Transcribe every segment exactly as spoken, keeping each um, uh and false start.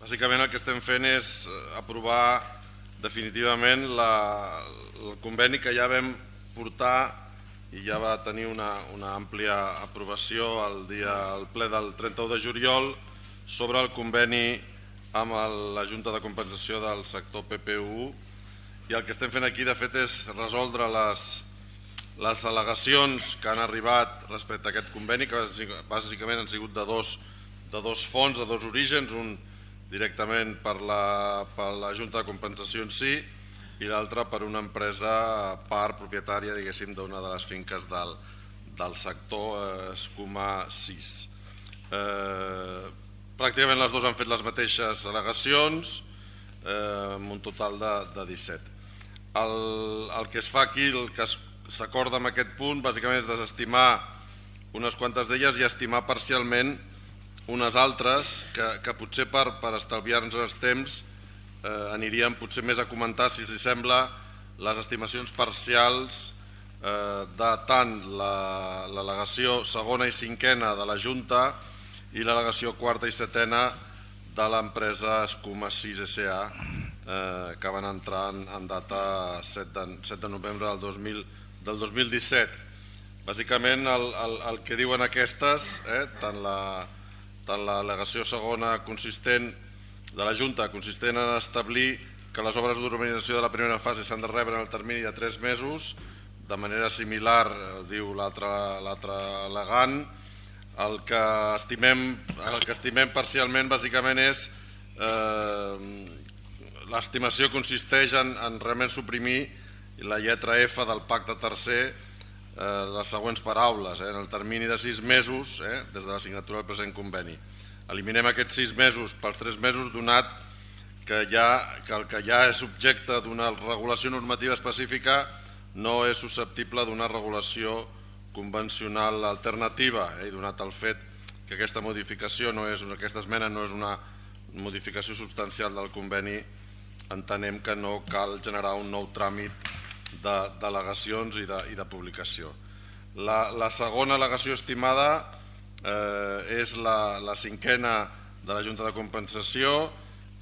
Bàsicament el que estem fent és aprovar definitivament el conveni que ja vam portar i ja va tenir una àmplia aprovació al ple del trenta-u de juliol sobre el conveni amb la Junta de Compensació del sector P P U, i el que estem fent aquí de fet és resoldre les al·legacions que han arribat respecte a aquest conveni, que bàsicament han sigut de dos fons, de dos orígens, un directament per la Junta de Compensació en si i l'altre per una empresa part propietària, diguéssim, d'una de les finques del sector Escuma sis. Pràcticament les dues han fet les mateixes al·legacions, amb un total de disset. El que es fa aquí, el que s'acorda en aquest punt, bàsicament és desestimar unes quantes d'elles i estimar parcialment unes altres que potser per estalviar-nos els temps aniríem potser més a comentar, si els sembla, les estimacions parcials de tant l'al·legació segona i cinquena de la Junta i l'al·legació quarta i setena de l'empresa Escuma sis S A, que van entrar en data set de novembre del dos mil disset. Bàsicament el que diuen aquestes, tant l'al·legació segona consistent de la Junta, consistent en establir que les obres d'urbanització de la primera fase s'han de rebre en el termini de tres mesos, de manera similar, diu l'altre al·legant. El que estimem parcialment bàsicament és, l'estimació consisteix en realment suprimir la lletra F del pacte tercer, les següents paraules: en el termini de sis mesos des de la signatura del present conveni. Eliminem aquests sis mesos pels tres mesos, donat que el que ja és objecte d'una regulació normativa específica no és susceptible d'una regulació convencional alternativa, i donat el fet que aquesta modificació, aquesta esmena no és una modificació substancial del conveni, entenem que no cal generar un nou tràmit d'al·legacions i de publicació. La segona al·legació estimada és la cinquena de la Junta de Compensació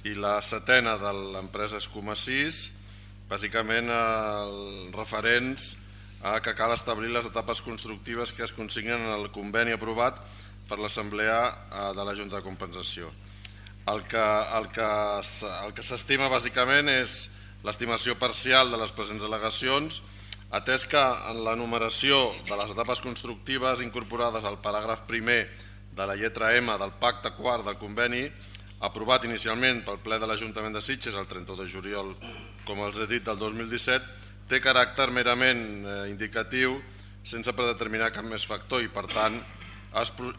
i la setena de l'empresa Escuma sis, bàsicament referents a que cal establir les etapes constructives que es consignen en el conveni aprovat per l'Assemblea de la Junta de Compensació. El que s'estima bàsicament és l'estimació parcial de les presents al·legacions, atès que en la numeració de les etapes constructives incorporades al paràgraf primer de la lletra M del pacte quart del conveni, aprovat inicialment pel ple de l'Ajuntament de Sitges el trenta-u de juliol, com els he dit, del dos mil disset, té caràcter merament indicatiu, sense predeterminar cap més factor, i per tant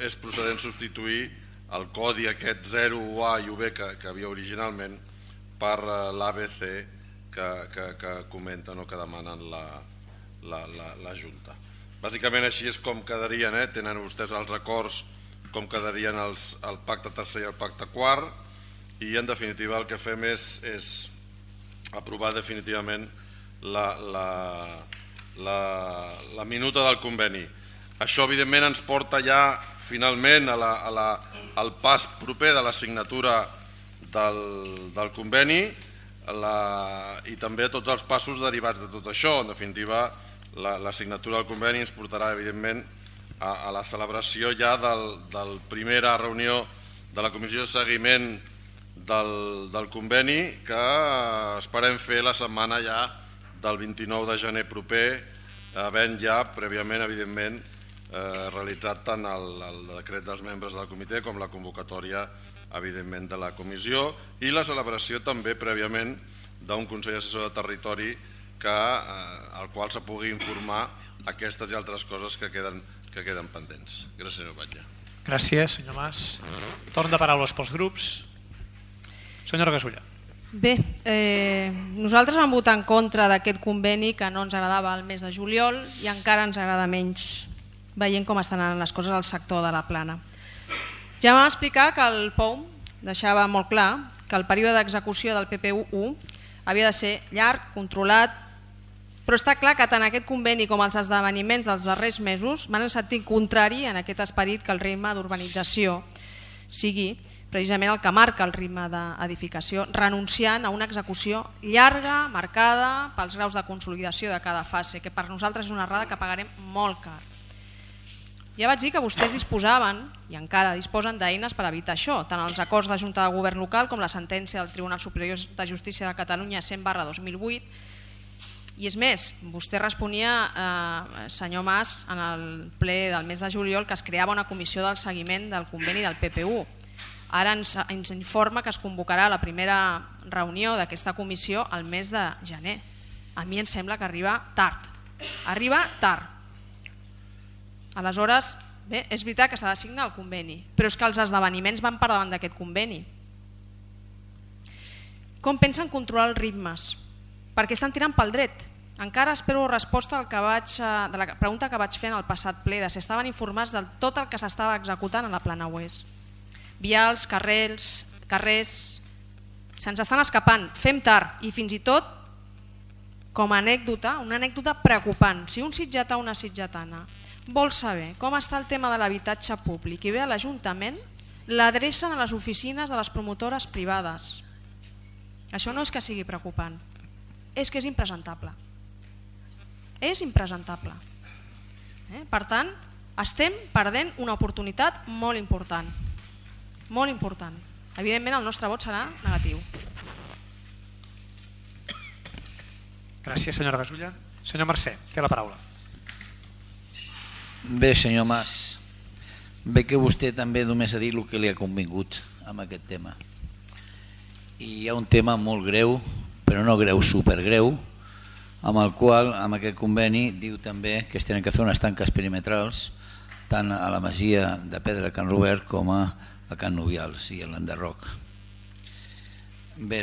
és procedent substituir el codi aquest zero, U A i U B que havia originalment per l'A B C que comenten o que demanen la Junta. Bàsicament així és com quedarien, tenen vostès els acords com quedarien el pacte tercer i el pacte quart, i en definitiva el que fem és aprovar definitivament la minuta del conveni. Això evidentment ens porta ja finalment al pas proper de la signatura del conveni i també a tots els passos derivats de tot això. En definitiva, la signatura del conveni ens portarà evidentment a la celebració ja de la primera reunió de la comissió de seguiment del conveni, que esperem fer la setmana ja del vint-i-nou de gener proper, havent ja prèviament evidentment realitzat tant el decret dels membres del comitè com la convocatòria evidentment de la comissió, i la celebració també prèviament d'un Consell Assessor de Territori al qual se pugui informar aquestes i altres coses que queden pendents. Gràcies, senyor Batlle. Gràcies, senyor Mas. Torn de paraules pels grups. Senyora Gasulla. Bé, nosaltres vam votar en contra d'aquest conveni que no ens agradava el mes de juliol i encara ens agrada menys veient com estan anant les coses al sector de la Plana. Ja vam explicar que el P O U deixava molt clar que el període d'execució del P P U u havia de ser llarg, controlat, però està clar que tant aquest conveni com els esdeveniments dels darrers mesos van en sentit contrari en aquest esperit que el ritme d'urbanització sigui precisament el que marca el ritme d'edificació, renunciant a una execució llarga, marcada pels graus de consolidació de cada fase, que per nosaltres és una errada que pagarem molt car. Ja vaig dir que vostès disposaven, i encara disposen, d'eines per evitar això, tant els acords de Junta de Govern local com la sentència del Tribunal Superior de Justícia de Catalunya cent barra dos mil vuit. I és més, vostè responia, eh, senyor Mas, en el ple del mes de juliol, que es creava una comissió del seguiment del conveni del P P U. Ara ens, ens informa que es convocarà la primera reunió d'aquesta comissió al mes de gener. A mi em sembla que arriba tard. Arriba tard. Aleshores, bé, és veritat que s'ha de signar el conveni, però és que els esdeveniments van per davant d'aquest conveni. Com pensen controlar els ritmes? Perquè estan tirant pel dret. Encara espero resposta al que vaig, de la pregunta que vaig fer en el passat ple, de si estaven informats de tot el que s'estava executant a la Plana Oest. Vials, carrers, carrers, se'ns estan escapant, fem tard i fins i tot, com a anècdota, una anècdota preocupant. Si un sitgetà o una sitgetana vol saber com està el tema de l'habitatge públic i ve a l'Ajuntament, l'adrecen a les oficines de les promotores privades. Això no és que sigui preocupant, és que és impresentable. És impresentable. Eh? Per tant, estem perdent una oportunitat molt important. Molt important. Evidentment el nostre vot serà negatiu. Gràcies, senyora Gasulla. Senyor Mercè, té la paraula. Bé, senyor Mas, bé que vostè també només ha dit el que li ha convingut amb aquest tema. I hi ha un tema molt greu, però no greu, supergreu, amb el qual, amb aquest conveni, diu també que es tenen que fer unes tanques perimetrals tant a la masia de Pedra de Can Robert com a a Can Nubials i a l'Enderroc. Bé,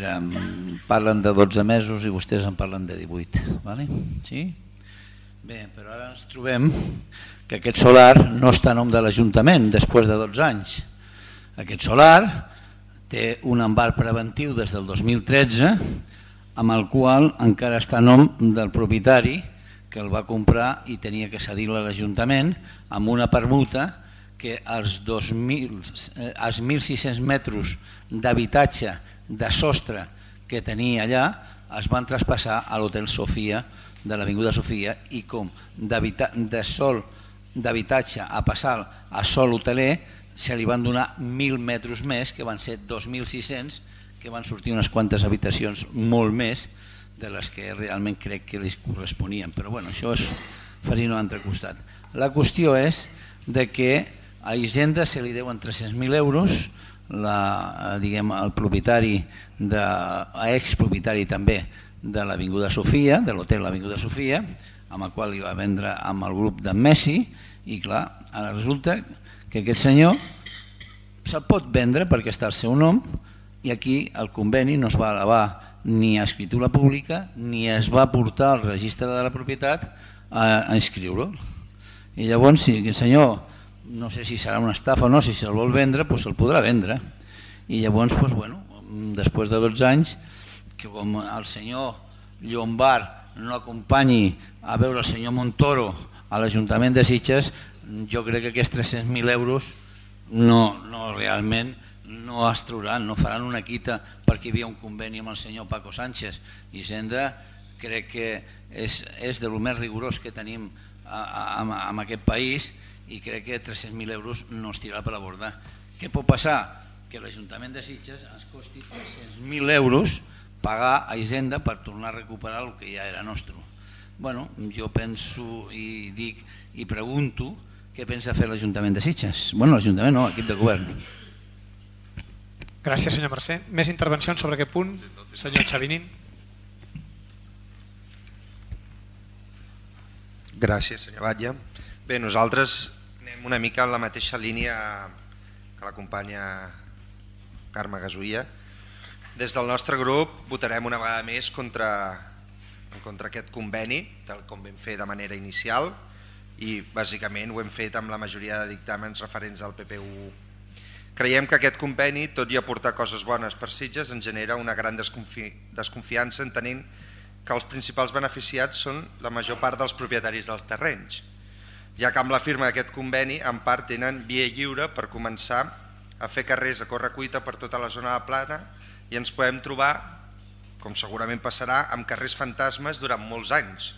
parlen de dotze mesos i vostès en parlen de divuit. Vale? Sí? Bé, però ara ens trobem que aquest solar no està a nom de l'Ajuntament després de dotze anys. Aquest solar té un embarg preventiu des del dos mil tretze amb el qual encara està a nom del propietari que el va comprar i tenia que cedir-lo a l'Ajuntament amb una permuta que els mil sis-cents metres d'habitatge de sostre que tenia allà es van traspassar a l'Hotel Sofia de l'Avinguda Sofia i com de sol d'habitatge a passar a sol hoteler se li van donar mil metres més, que van ser dos mil sis-cents, que van sortir unes quantes habitacions molt més de les que realment crec que li corresponien. Però bueno, això és farina a l'altre costat. La qüestió és de que a Hisenda se li deuen tres-cents mil euros, la, diguem, el propietari, de, expropietari també de l'Avinguda Sofia, de l'hotel l'Avinguda Sofia, amb el qual li va vendre amb el grup d'en Messi, i clar, ara resulta que aquest senyor se'l pot vendre perquè està al seu nom i aquí el conveni no es va elevar ni a escritura pública ni es va portar al registre de la propietat a, a inscriure-lo. I llavors, si aquest senyor, no sé si serà una estafa o no, si se'l vol vendre, doncs se'l podrà vendre. I llavors, doncs, bueno, després de dotze anys, que com el senyor Llombard no acompanyi a veure el senyor Montoro a l'Ajuntament de Sitges, jo crec que aquests tres-cents mil euros no, no realment no es trauran, no faran una quita perquè hi havia un conveni amb el senyor Paco Sánchez. Hisenda crec que és, és de lo més rigorós que tenim en aquest país i crec que tres-cents mil euros no es tirarà per la borda. Què pot passar? Que l'Ajuntament de Sitges ens costi tres-cents mil euros pagar a Hisenda per tornar a recuperar el que ja era nostre. Bueno, jo penso i dic i pregunto què pensa fer l'Ajuntament de Sitges. Bueno, l'Ajuntament no, l'equip de govern. Gràcies, senyor Mercè. Més intervencions sobre aquest punt? Senyor Xavinín. Gràcies, senyor Batlle. Bé, nosaltres anem una mica en la mateixa línia que la companya Carme Gasulla. Des del nostre grup votarem una vegada més contra, contra aquest conveni, tal com vam fer de manera inicial, i bàsicament ho hem fet amb la majoria de dictàmens referents al P P U. Creiem que aquest conveni, tot i aportar coses bones per Sitges, ens genera una gran desconfi desconfiança entenent que els principals beneficiats són la major part dels propietaris dels terrenys, ja que amb la firma d'aquest conveni en part tenen via lliure per començar a fer carrers a correcuita per tota la zona de la Plana i ens podem trobar, com segurament passarà, amb carrers fantasmes durant molts anys.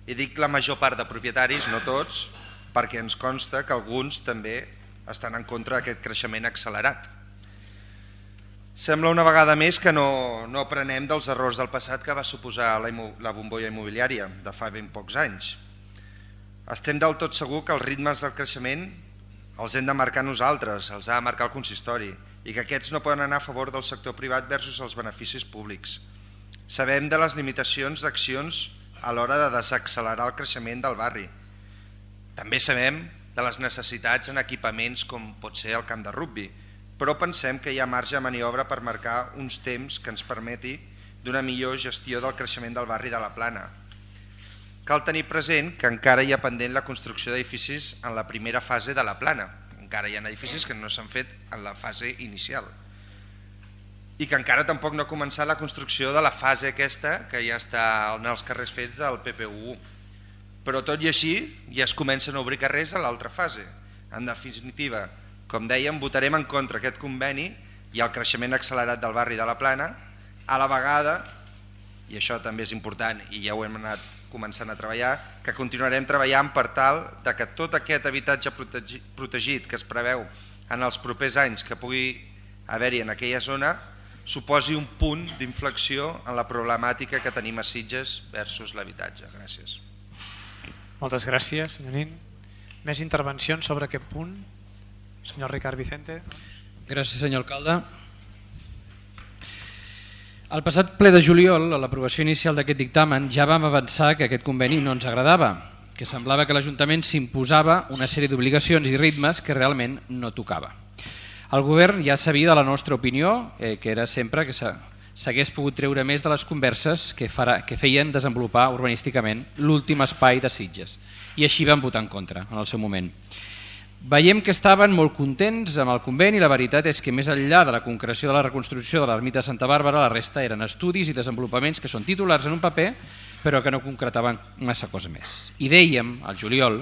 I dic la major part de propietaris, no tots, perquè ens consta que alguns també estan en contra d'aquest creixement accelerat. Sembla una vegada més que no, no aprenem dels errors del passat que va suposar la, la bombolla immobiliària de fa ben pocs anys. Estem del tot segur que els ritmes del creixement els hem de marcar nosaltres, els ha de marcar el consistori, i que aquests no poden anar a favor del sector privat versus els beneficis públics. Sabem de les limitacions d'accions a l'hora de desaccelerar el creixement del barri. També sabem de les necessitats en equipaments com pot ser el camp de rugbi, però pensem que hi ha marge de maniobra per marcar uns temps que ens permeti d'una millor gestió del creixement del barri de la Plana. Cal tenir present que encara hi ha pendent la construcció d'edificis en la primera fase de la Plana. Encara hi ha edificis que no s'han fet en la fase inicial. I que encara tampoc no ha començat la construcció de la fase aquesta que ja està en els carrers fets del P P U. Però tot i així ja es comencen a obrir carrers a l'altra fase. En definitiva, com dèiem, votarem en contra aquest conveni i el creixement accelerat del barri de la Plana, a la vegada, i això també és important i ja ho hem anat començant a treballar, que continuarem treballant per tal de que tot aquest habitatge protegit que es preveu en els propers anys que pugui haver-hi en aquella zona suposi un punt d'inflexió en la problemàtica que tenim a Sitges versus l'habitatge. Gràcies. Moltes gràcies, senyor Nin. Més intervencions sobre aquest punt? Senyor Ricard Vicente. Gràcies, senyor alcalde. Al passat ple de juliol, a l'aprovació inicial d'aquest dictamen, ja vam avançar que aquest conveni no ens agradava, que semblava que l'Ajuntament s'imposava una sèrie d'obligacions i ritmes que realment no tocava. El govern ja sabia de la nostra opinió, eh, que era sempre que s'hagués pogut treure més de les converses que, farà, que feien desenvolupar urbanísticament l'últim espai de Sitges, i així vam votar en contra en el seu moment. Veiem que estaven molt contents amb el conveni i la veritat és que més enllà de la concreció de la reconstrucció de l'ermita de Santa Bàrbara, la resta eren estudis i desenvolupaments que són titulars en un paper però que no concretaven massa cosa més. I dèiem, al juliol,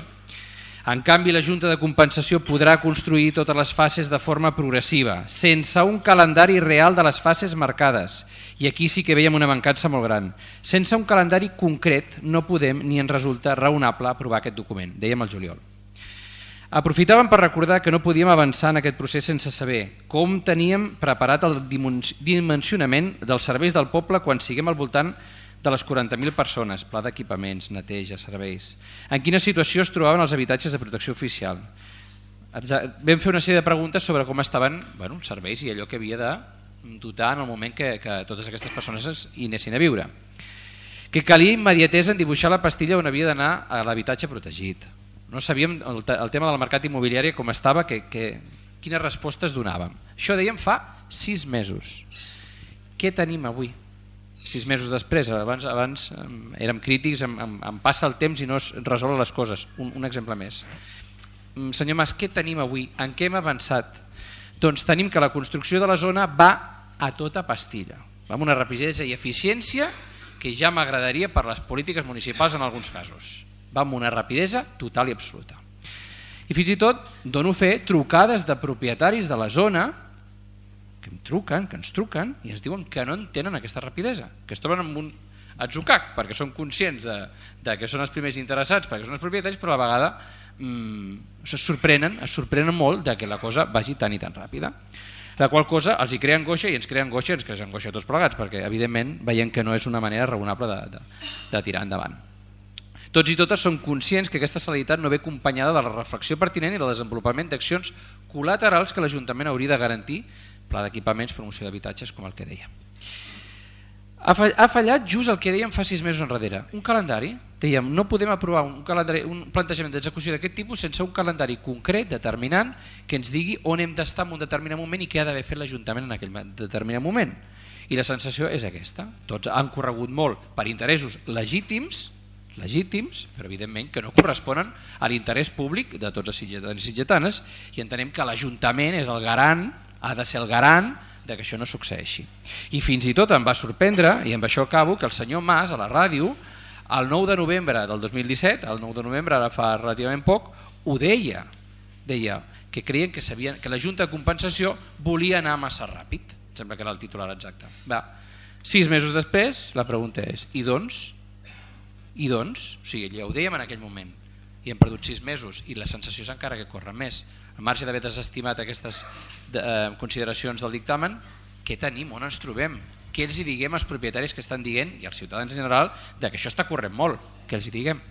en canvi la Junta de Compensació podrà construir totes les fases de forma progressiva, sense un calendari real de les fases marcades. I aquí sí que veiem una mancança molt gran. Sense un calendari concret no podem ni ens resulta raonable aprovar aquest document, dèiem al juliol. Aprofitàvem per recordar que no podíem avançar en aquest procés sense saber com teníem preparat el dimensionament dels serveis del poble quan siguem al voltant de les quaranta mil persones, pla d'equipaments, neteja, serveis. En quina situació es trobaven els habitatges de protecció oficial? Vam fer una sèrie de preguntes sobre com estaven bueno, els serveis i allò que havia de dotar en el moment que, que totes aquestes persones hi anessin a viure. Que calia immediatesa en dibuixar la pastilla on havia d'anar a l'habitatge protegit. No sabíem el, el tema del mercat immobiliari com estava, que, que, quines respostes donàvem. Això dèiem fa sis mesos. Què tenim avui? Sis mesos després, abans, abans érem crítics, em, em, em passa el temps i no es resolen les coses. Un, un exemple més. Senyor Mas, què tenim avui? En què hem avançat? Doncs tenim que la construcció de la zona va a tota pastilla. Va amb una rapidesa i eficiència que ja m'agradaria per les polítiques municipals en alguns casos. Va amb una rapidesa total i absoluta. I fins i tot dono fe trucades de propietaris de la zona que em truquen, que ens truquen i ens diuen que no entenen aquesta rapidesa, que es troben amb un atzucac perquè són conscients de, de que són els primers interessats, perquè són els propietaris, però a la vegada mmm, es sorprenen, es sorprenen molt de que la cosa vagi tan i tan ràpida. La qual cosa els hi crea angoixa i ens crea angoixa i ens crea angoixa a tots plegats, perquè evidentment veiem que no és una manera raonable de, de, de tirar endavant. Tots i totes som conscients que aquesta celeritat no ve acompanyada de la reflexió pertinent i del desenvolupament d'accions col·laterals que l'Ajuntament hauria de garantir, pla d'equipaments, promoció d'habitatges, com el que deia. Ha fallat just el que dèiem fa sis mesos enrere, un calendari. Dèiem, no podem aprovar un, calendari, un plantejament d'execució d'aquest tipus sense un calendari concret, determinant, que ens digui on hem d'estar en un determinat moment i què ha d'haver fet l'Ajuntament en aquell determinat moment. I la sensació és aquesta. Tots han corregut molt per interessos legítims, legítims, però evidentment que no corresponen a l'interès públic de tots els sitgetans i sitgetanes i entenem que l'Ajuntament és el garant, ha de ser el garant de que això no succeeixi. I fins i tot em va sorprendre, i amb això acabo, que el senyor Mas a la ràdio, el nou de novembre del dos mil disset, el nou de novembre, ara fa relativament poc, ho deia, deia que creien que, sabien, que la Junta de Compensació volia anar massa ràpid, sembla que era el titular exacte. Va. Sis mesos després, la pregunta és, i doncs? I doncs? O sigui, ja ho dèiem en aquell moment, i hem perdut sis mesos, i la sensació és encara que corren més. Al marge d'haver desestimat aquestes eh, consideracions del dictamen, què tenim, on ens trobem? Què els hi diguem als propietaris que estan dient, i als ciutadans en general, que això està corrent molt, què els hi diguem?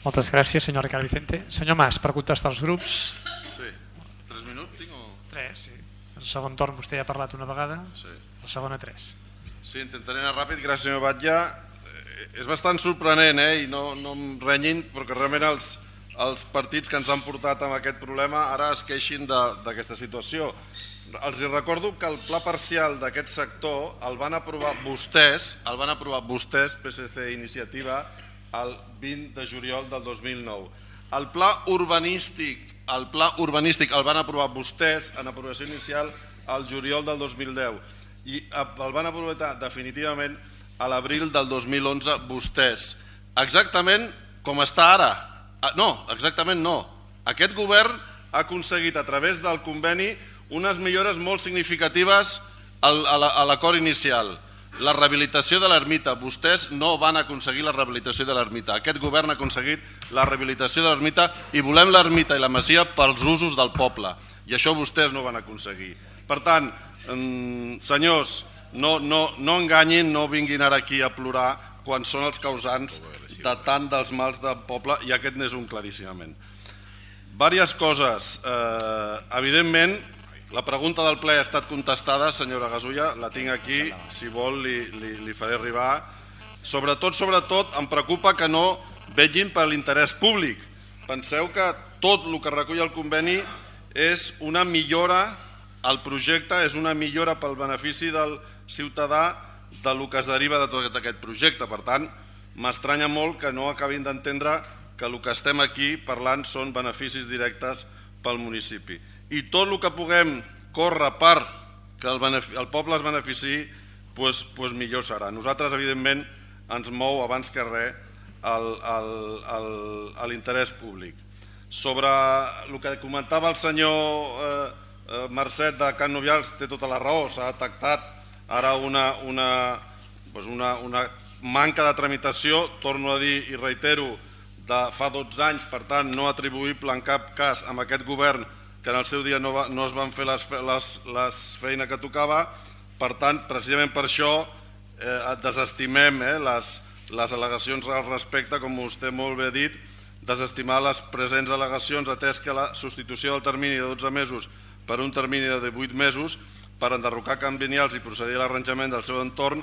Moltes gràcies, senyor Ricard Vicente. Senyor Mas, per contestar als grups. Sí. Tres minuts tinc o...? Tres, sí. En segon torn vostè ja ha parlat una vegada, sí. La segona tres. Sí, intentaré anar ràpid, gràcies senyor Batlle. Eh, és bastant sorprenent, eh? I no, no em renyin, perquè realment els, els partits que ens han portat amb aquest problema ara es queixin d'aquesta situació. Els recordo que el pla parcial d'aquest sector el van aprovar vostès, el van aprovar vostès, P S C Iniciativa, el vint de juliol del dos mil nou. El pla urbanístic, el pla urbanístic el van aprovar vostès en aprovació inicial al juliol del dos mil deu i el van aprovar definitivament a l'abril del dos mil onze vostès. Exactament com està ara. No, exactament no. Aquest govern ha aconseguit a través del conveni unes millores molt significatives a l'acord inicial. La rehabilitació de l'ermita. Vostès no van aconseguir la rehabilitació de l'ermita. Aquest govern ha aconseguit la rehabilitació de l'ermita i volem l'ermita i la masia pels usos del poble. I això vostès no van aconseguir. Per tant, senyors, no, no, no enganyin, no vinguin ara aquí a plorar quan són els causants de tant dels mals del poble, i aquest n'és un claríssimament. Vàries coses. Eh, evidentment, la pregunta del ple ha estat contestada, senyora Gasulla, la tinc aquí, si vol li, li, li faré arribar. Sobretot, sobretot, em preocupa que no vegin per l'interès públic. Penseu que tot el que recull el conveni és una millora, el projecte és una millora pel benefici del ciutadà del que es deriva de tot aquest projecte. Per tant, m'estranya molt que no acabin d'entendre que el que estem aquí parlant són beneficis directes pel municipi. I tot el que puguem córrer per que el poble es beneficiï, doncs millor serà. Nosaltres, evidentment, ens mou abans que res l'interès públic. Sobre el que comentava el senyor Marcet de Can Novials, té tota la raó, s'ha detectat ara una manca de tramitació, torno a dir i reitero, de fa dotze anys, per tant no atribuïble en cap cas amb aquest govern que en el seu dia no es van fer la feina que tocava. Per tant, precisament per això desestimem les al·legacions al respecte, com vostè molt bé ha dit, desestimar les presents al·legacions atès que la substitució del termini de dotze mesos per un termini de divuit mesos per enderrocar camps lineals i procedir a l'arranjament del seu entorn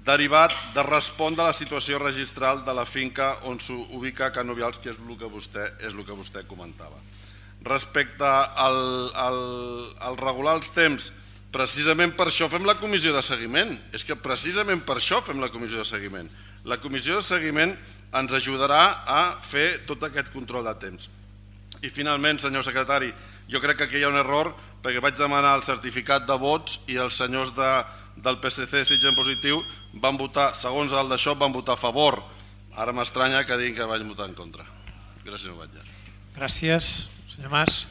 derivat de respondre a la situació registral de la finca on s'ubica Can Novials, que és el que vostè comentava. Respecte al regular els temps, precisament per això fem la comissió de seguiment. És que precisament per això fem la comissió de seguiment. La comissió de seguiment ens ajudarà a fer tot aquest control de temps. I finalment, senyor secretari, jo crec que aquí hi ha un error perquè vaig demanar el certificat de vots i els senyors del P S C Sitges en positiu van votar, segons el d'això, van votar a favor. Ara m'estranya que diguin que vaig votar en contra. Gràcies, senyor Batlle. Gràcies, senyor Mas.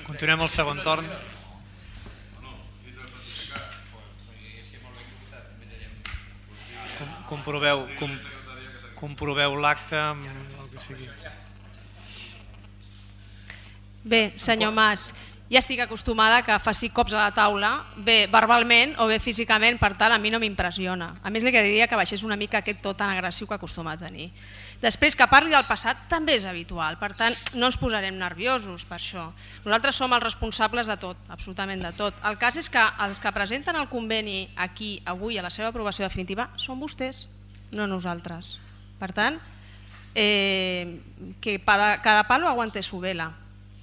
Continuem el segon torn. Comproveu, comproveu l'acte amb el que sigui. Bé, senyor Mas, ja estic acostumada que faci cops a la taula, bé verbalment o bé físicament, per tant a mi no m'impressiona. A més li agrairia que baixés una mica aquest to tan agressiu que acostuma a tenir. Després, que parli del passat també és habitual, per tant no ens posarem nerviosos per això. Nosaltres som els responsables de tot, absolutament de tot. El cas és que els que presenten el conveni aquí avui a la seva aprovació definitiva són vostès, no nosaltres. Per tant, que cada palo aguante su vela.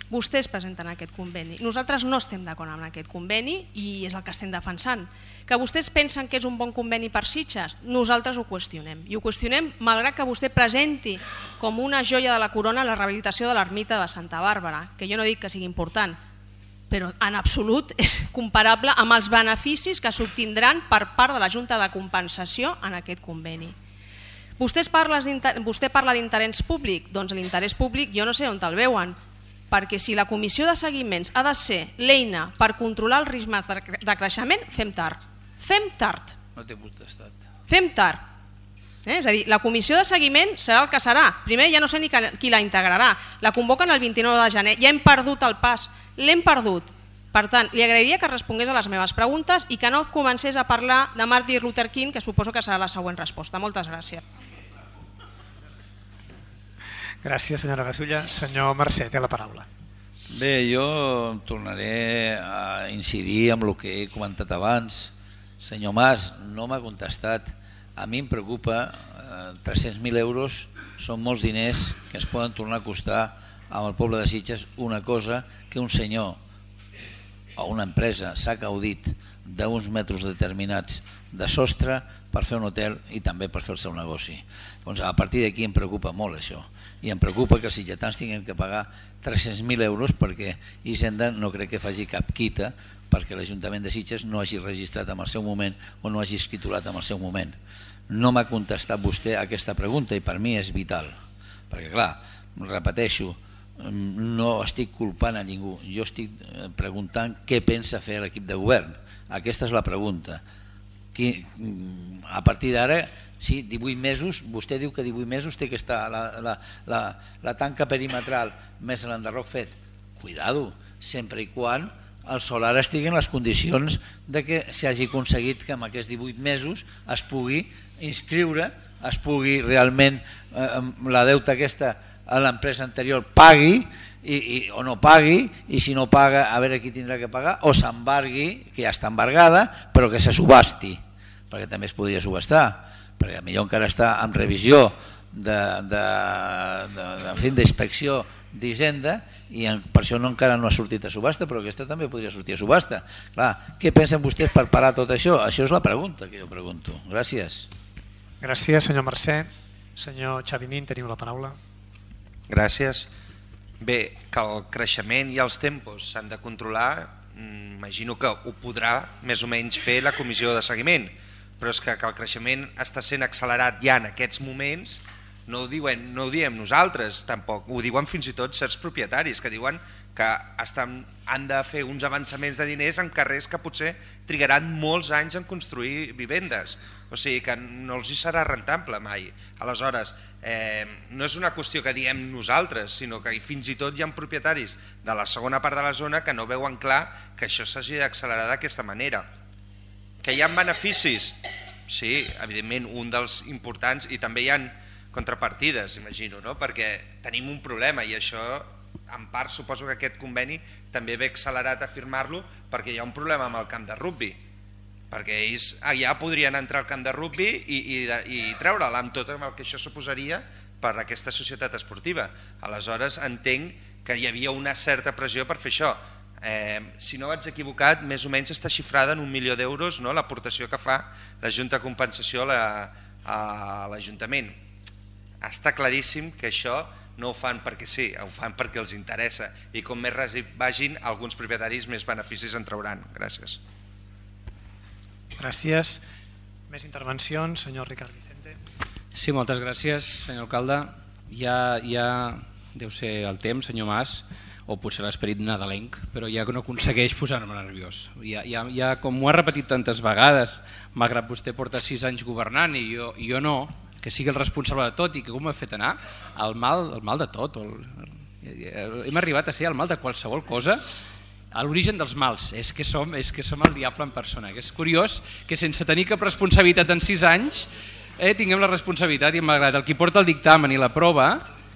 Vostès presenten aquest conveni. Nosaltres no estem d'acord amb aquest conveni i és el que estem defensant. Que vostès pensen que és un bon conveni per Sitges, nosaltres ho qüestionem. I ho qüestionem malgrat que vostè presenti com una joia de la corona la rehabilitació de l'ermita de Santa Bàrbara, que jo no dic que sigui important, però en absolut és comparable amb els beneficis que s'obtindran per part de la Junta de Compensació en aquest conveni. Vostè parla d'interès públic, doncs l'interès públic jo no sé on el veuen. perquè si la comissió de seguiments ha de ser l'eina per controlar els ritmes de creixement, fem tard. Fem tard. No té potestat. Fem tard. Eh? És a dir, la comissió de seguiment serà el que serà. Primer ja no sé ni qui la integrarà. La convoquen el vint-i-nou de gener. Ja hem perdut el pas. L'hem perdut. Per tant, li agrairia que respongués a les meves preguntes i que no comencés a parlar de Martin Luther King, que suposo que serà la següent resposta. Moltes gràcies. Gràcies, senyora Gasulla. Senyor Mercè, té la paraula. Bé, jo tornaré a incidir amb el que he comentat abans. Senyor Mas, no m'ha contestat. A mi em preocupa, eh, tres-cents mil euros són molts diners que ens poden tornar a costar amb el poble de Sitges una cosa que un senyor o una empresa s'ha gaudit d'uns metres determinats de sostre per fer un hotel i també per fer el seu negoci. Doncs a partir d'aquí em preocupa molt això i em preocupa que els sitgetans tinguin que pagar tres-cents mil euros perquè Hisenda no crec que faci cap quita perquè l'Ajuntament de Sitges no hagi registrat en el seu moment o no hagi escriturat en el seu moment. No m'ha contestat vostè aquesta pregunta i per mi és vital, perquè clar, repeteixo, no estic culpant a ningú, jo estic preguntant què pensa fer l'equip de govern. Aquesta és la pregunta. A partir d'ara, sí, divuit mesos, vostè diu que divuit mesos té que estar la, la, la, la tanca perimetral més l'enderroc fet. Cuidado, sempre i quan el solar estigui en les condicions de que s'hagi aconseguit que en aquests divuit mesos es pugui inscriure, es pugui realment eh, la deuta aquesta a l'empresa anterior pagui i, i, o no pagui, i si no paga a veure qui tindrà que pagar, o s'embargui, que ja està embargada, però que se subhasti, perquè també es podria subhastar, perquè potser encara està en revisió d'inspecció d'Hisenda i per això no, encara no ha sortit a subhasta, però aquesta també podria sortir a subhasta. Clar, què pensen vostès per parar tot això? Això és la pregunta que jo pregunto. Gràcies. Gràcies, senyor Mercè. Senyor Xavinín, teniu la paraula. Gràcies. Bé, que el creixement i els tempos s'han de controlar, imagino que ho podrà més o menys fer la comissió de seguiment, però és que, que el creixement està sent accelerat ja en aquests moments, no ho, diuen, no ho diem nosaltres tampoc, ho diuen fins i tot certs propietaris que diuen que estan, han de fer uns avançaments de diners en carrers que potser trigaran molts anys en construir vivendes, o sigui que no els hi serà rentable mai. Aleshores, eh, no és una qüestió que diem nosaltres, sinó que fins i tot hi ha propietaris de la segona part de la zona que no veuen clar que això s'hagi d'accelerar d'aquesta manera. Que hi ha beneficis? Sí, evidentment, un dels importants, i també hi ha contrapartides, imagino, no? Perquè tenim un problema i això, en part, suposo que aquest conveni també ve accelerat a firmar-lo perquè hi ha un problema amb el camp de rugbi, perquè ells ja podrien entrar al camp de rugbi i, i, i treure'l amb tot el que això suposaria per a aquesta societat esportiva. Aleshores, entenc que hi havia una certa pressió per fer això. Eh, si no vaig equivocat, més o menys està xifrada en un milió d'euros, no?, l'aportació que fa la Junta de Compensació a l'Ajuntament. Està claríssim que això no ho fan perquè sí, ho fan perquè els interessa, i com més vagin, alguns propietaris més beneficis en trauran. Gràcies. Gràcies. Més intervencions, senyor Ricard Vicente. Sí, moltes gràcies, senyor alcalde. Ja, ja deu ser el temps, senyor Mas, o potser l'esperit nadalenc, però ja no aconsegueix posar-me nerviós. Ja, ja, ja, com ho ha repetit tantes vegades, malgrat vostè porta sis anys governant i jo, i jo no, que sigui el responsable de tot i que com m'ha fet anar, el mal, el mal de tot. El, el, hem arribat a ser el mal de qualsevol cosa, a l'origen dels mals. És que, som, és que som el diable en persona. Que és curiós que sense tenir cap responsabilitat en sis anys eh, tinguem la responsabilitat, i malgrat el qui porta el dictamen i la prova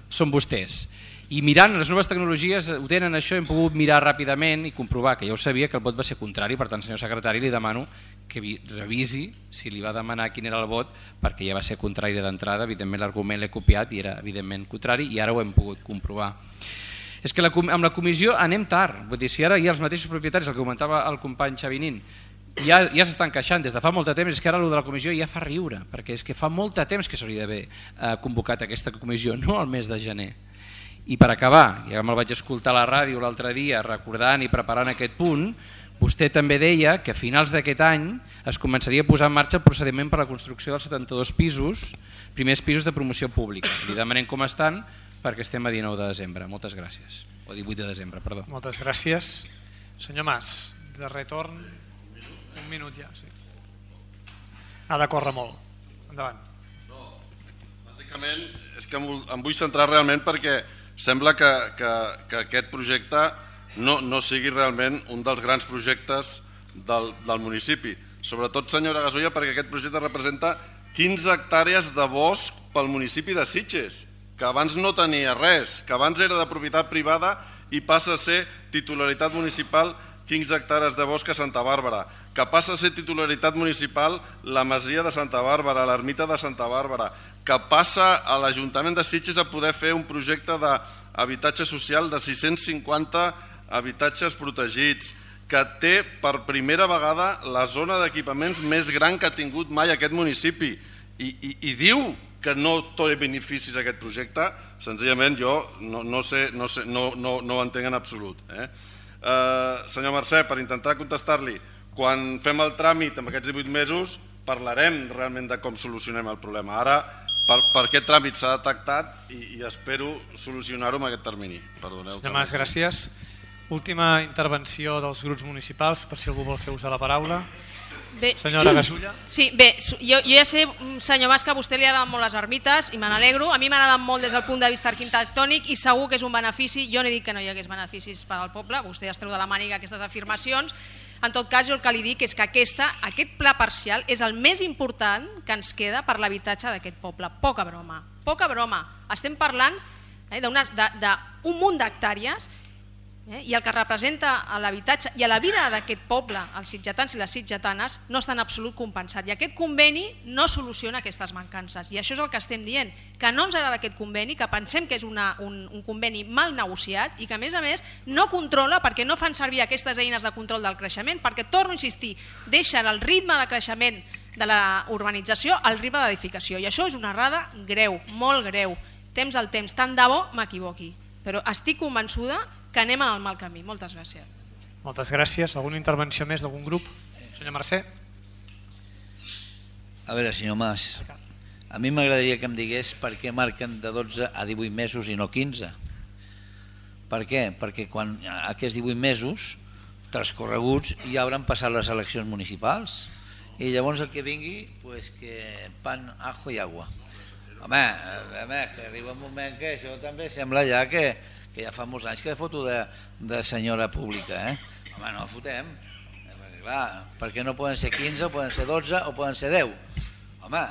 són vostès. I mirant les noves tecnologies, ho tenen això, hem pogut mirar ràpidament i comprovar que ja ho sabia, que el vot va ser contrari. Per tant, senyor secretari, li demano que revisi si li va demanar quin era el vot, perquè ja va ser contrari d'entrada. Evidentment l'argument l'he copiat i era evidentment contrari, i ara ho hem pogut comprovar. És que la, amb la comissió anem tard. Vull dir, si ara hi ha els mateixos propietaris, el que comentava el company Xavinín, ja, ja s'estan queixant des de fa molt de temps, és que ara el de la comissió ja fa riure, perquè és que fa molt de temps que s'hauria d'haver eh, convocat aquesta comissió, no al mes de gener. I per acabar, ja me'l vaig escoltar a la ràdio l'altre dia recordant i preparant aquest punt, vostè també deia que a finals d'aquest any es començaria a posar en marxa el procediment per a la construcció dels setanta-dos pisos, primers pisos de promoció pública. Li demanem com estan, perquè estem a dinou de desembre. Moltes gràcies. O divuit de desembre, perdó. Moltes gràcies. Senyor Mas, de retorn, un minut ja. Sí. Ha de córrer molt. Endavant. No, bàsicament és que em vull centrar realment perquè sembla que, que, que aquest projecte no, no sigui realment un dels grans projectes del, del municipi. Sobretot, senyora Gasolla, perquè aquest projecte representa quinze hectàrees de bosc pel municipi de Sitges, que abans no tenia res, que abans era de propietat privada i passa a ser titularitat municipal quinze hectàrees de bosc a Santa Bàrbara, que passa a ser titularitat municipal la Masia de Santa Bàrbara, l'Ermita de Santa Bàrbara, que passa a l'Ajuntament de Sitges a poder fer un projecte d'habitatge social de sis-cents cinquanta habitatges protegits, que té per primera vegada la zona d'equipaments més gran que ha tingut mai aquest municipi i, i, i diu que no té beneficis aquest projecte, senzillament jo no, no, sé, no, sé, no, no, no ho entenc en absolut. Eh? Eh, senyor Mercè, per intentar contestar-li, quan fem el tràmit en aquests divuit mesos parlarem realment de com solucionem el problema. Ara, per, per aquest tràmit s'ha detectat i, i espero solucionar-ho en aquest termini. Perdoneu. Senyor Mas, gràcies. Última intervenció dels grups municipals, per si algú vol fer ús de la paraula. Bé, senyora Gasulla. Sí, bé, jo, jo ja sé, senyor Mas, que a vostè li agraden molt les ermites i me n'alegro. A mi m'agraden molt des del punt de vista arquitectònic i segur que és un benefici. Jo no he dit que no hi hagués beneficis per al poble, vostè ja es treu de la màniga aquestes afirmacions. En tot cas, jo el que li dic és que aquesta, aquest pla parcial és el més important que ens queda per l'habitatge d'aquest poble. Poca broma, poca broma. Estem parlant eh, d'un munt d'hectàrees Eh? i el que representa l'habitatge i a la vida d'aquest poble, els sitgetans i les sitgetanes, no està en absolut compensat. I aquest conveni no soluciona aquestes mancances. I això és el que estem dient, que no ens agrada aquest conveni, que pensem que és una, un, un conveni mal negociat i que a més a més no controla perquè no fan servir aquestes eines de control del creixement, perquè, torno a insistir, deixen el ritme de creixement de la urbanització al ritme d'edificació. I això és una errada greu, molt greu. Temps al temps, tant de bo m'equivoqui. Però estic convençuda que anem en el mal camí. Moltes gràcies. Moltes gràcies. Alguna intervenció més d'algun grup? Senyor Mercè. A veure, senyor Mas, a mi m'agradaria que em digués per què marquen de dotze a divuit mesos i no quinze. Per què? Perquè quan aquests divuit mesos transcorreguts ja hauran passat les eleccions municipals i llavors el que vingui, pues que pan, ajo i agua. Home, home, que arriba un moment que això també sembla ja que que ja fa molts anys que foto de, de senyora pública, eh? Home, no fotem, perquè clar, perquè no poden ser quinze, o poden ser dotze, o poden ser deu. Home,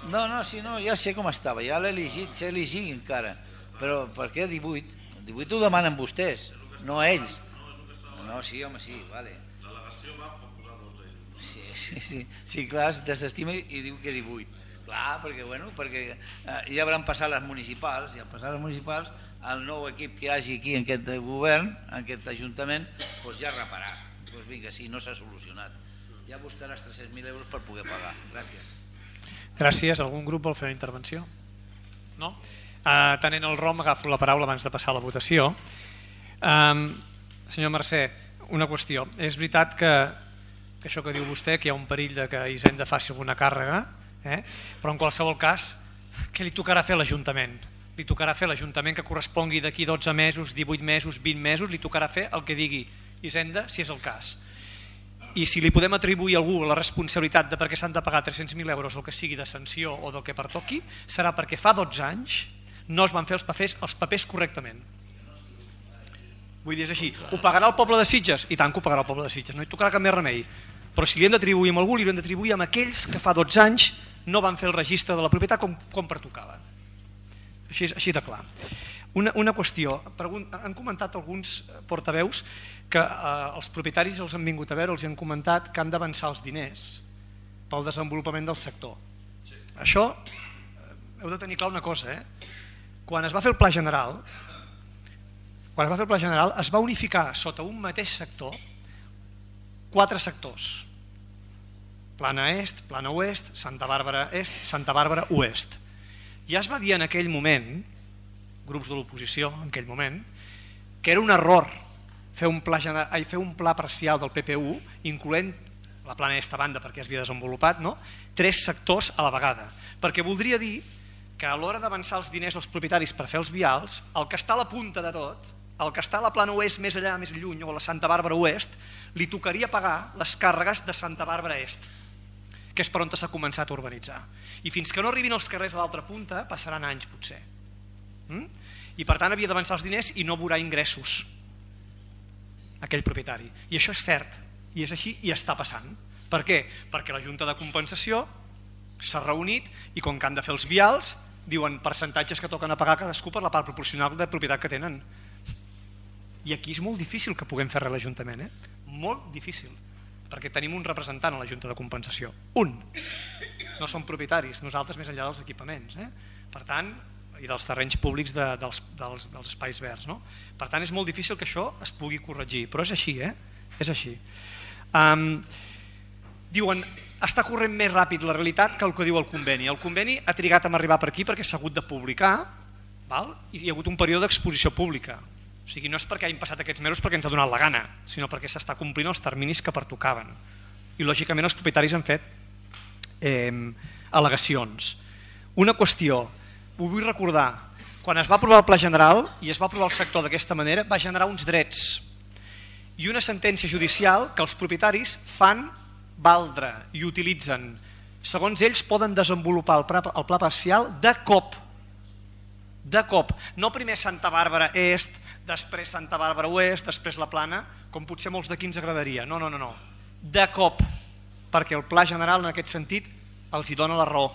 no, no, si no, ja sé com estava, ja l'he elegit, sé elegir encara, però per què divuit? divuit ho demanen vostès, no ells. No, sí, home, sí, vale. L'al·legació va posar dotze. Sí, sí, sí, sí, clar, es desestima i diu que divuit. Clar, perquè, bueno, perquè eh, ja hauran passat les municipals, i al passar les municipals, el nou equip que hi hagi aquí en aquest govern, en aquest ajuntament, doncs ja reparà. Doncs vinga, sí, no s'ha solucionat. Ja buscaràs tres-cents mil euros per poder pagar. Gràcies. Gràcies. Algun grup vol fer una intervenció? No? Uh, tenint el ROM, agafo la paraula abans de passar a la votació. Um, senyor Mercè, una qüestió. És veritat que, que això que diu vostè, que hi ha un perill de que Hisenda faci alguna càrrega, Eh? però en qualsevol cas, què li tocarà fer a l'Ajuntament? Li tocarà fer a l'Ajuntament que correspongui d'aquí dotze mesos, divuit mesos, vint mesos, li tocarà fer el que digui Hisenda, si és el cas. I si li podem atribuir a algú la responsabilitat de perquè s'han de pagar tres-cents mil euros o que sigui de sanció o del que pertoqui, serà perquè fa dotze anys no es van fer els papers, els papers correctament. Vull dir, és així. Ho pagarà el poble de Sitges? I tant que ho pagarà el poble de Sitges, no hi tocarà cap més remei. Però si li hem d'atribuir a algú, li hem d'atribuir a aquells que fa dotze anys no van fer el registre de la propietat com, com pertocava. Així, així de clar. Una, una qüestió, han comentat alguns portaveus que eh, els propietaris els han vingut a veure, els han comentat que han d'avançar els diners pel desenvolupament del sector. Sí. Això, eh, heu de tenir clar una cosa, eh? Quan es va fer el pla general, quan es va fer el pla general es va unificar sota un mateix sector quatre sectors. Plana Est, Plana Oest, Santa Bàrbara Est, Santa Bàrbara Oest. Ja es va dir en aquell moment, grups de l'oposició en aquell moment, que era un error fer un pla, general, fer un pla parcial del P P U, incloent la Plana Est a banda perquè es havia desenvolupat, no? tres sectors a la vegada, perquè voldria dir que a l'hora d'avançar els diners als propietaris per fer els vials, el que està a la punta de tot, el que està a la plana oest més allà, més lluny, o a la Santa Bàrbara oest, li tocaria pagar les càrregues de Santa Bàrbara est, que és per on s'ha començat a urbanitzar. I fins que no arribin els carrers a l'altra punta, passaran anys potser. I per tant havia d'avançar els diners i no veurà ingressos aquell propietari. I això és cert, i és així i està passant. Per què? Perquè la Junta de Compensació s'ha reunit i com que han de fer els vials, diuen percentatges que toquen a pagar cadascú per la part proporcional de propietat que tenen. I aquí és molt difícil que puguem fer res a l'Ajuntament, eh? Molt difícil, perquè tenim un representant a la Junta de Compensació, un. No som propietaris, nosaltres més enllà dels equipaments, eh? Per tant, i dels terrenys públics de, dels, dels, dels espais verds, no? Per tant, és molt difícil que això es pugui corregir, però és així, eh? És així. Um, diuen, està corrent més ràpid la realitat que el que diu el conveni. El conveni ha trigat a arribar per aquí perquè s'ha hagut de publicar, val? I hi ha hagut un període d'exposició pública. O sigui, no és perquè hagin passat aquests mesos perquè ens ha donat la gana, sinó perquè s'està complint els terminis que pertocaven. I lògicament els propietaris han fet eh, al·legacions. Una qüestió, ho vull recordar, quan es va aprovar el Pla General i es va aprovar el sector d'aquesta manera, va generar uns drets i una sentència judicial que els propietaris fan valdre i utilitzen. Segons ells poden desenvolupar el pla, el pla parcial de cop. De cop. No primer Santa Bàrbara Est, després Santa Bàrbara Oest, després la Plana, com potser molts d'aquí ens agradaria. No, no, no, no. De cop. Perquè el Pla General en aquest sentit els hi dona la raó.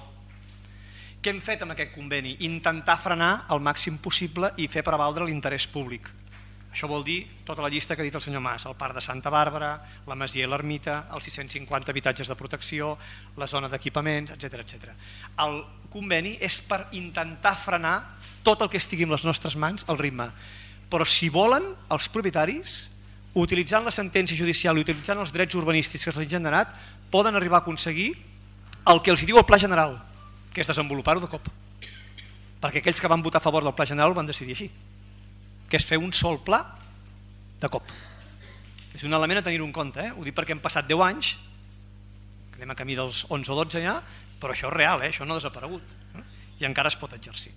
Què hem fet amb aquest conveni? Intentar frenar el màxim possible i fer prevaldre l'interès públic. Això vol dir tota la llista que ha dit el senyor Mas, el parc de Santa Bàrbara, la masia i l'ermita, els sis-cents cinquanta habitatges de protecció, la zona d'equipaments, etcètera, etcètera. El conveni és per intentar frenar tot el que estigui en les nostres mans al ritme. Però si volen, els propietaris, utilitzant la sentència judicial i utilitzant els drets urbanístics que s'han generat, poden arribar a aconseguir el que els diu el Pla General, que és desenvolupar-ho de cop. Perquè aquells que van votar a favor del Pla General ho van decidir així, que és fer un sol pla de cop. És un element a tenir-ho en compte, eh? Ho dic perquè hem passat deu anys, que anem a camí dels onze o dotze ja, però això és real, eh? Això no ha desaparegut, eh? I encara es pot exercir.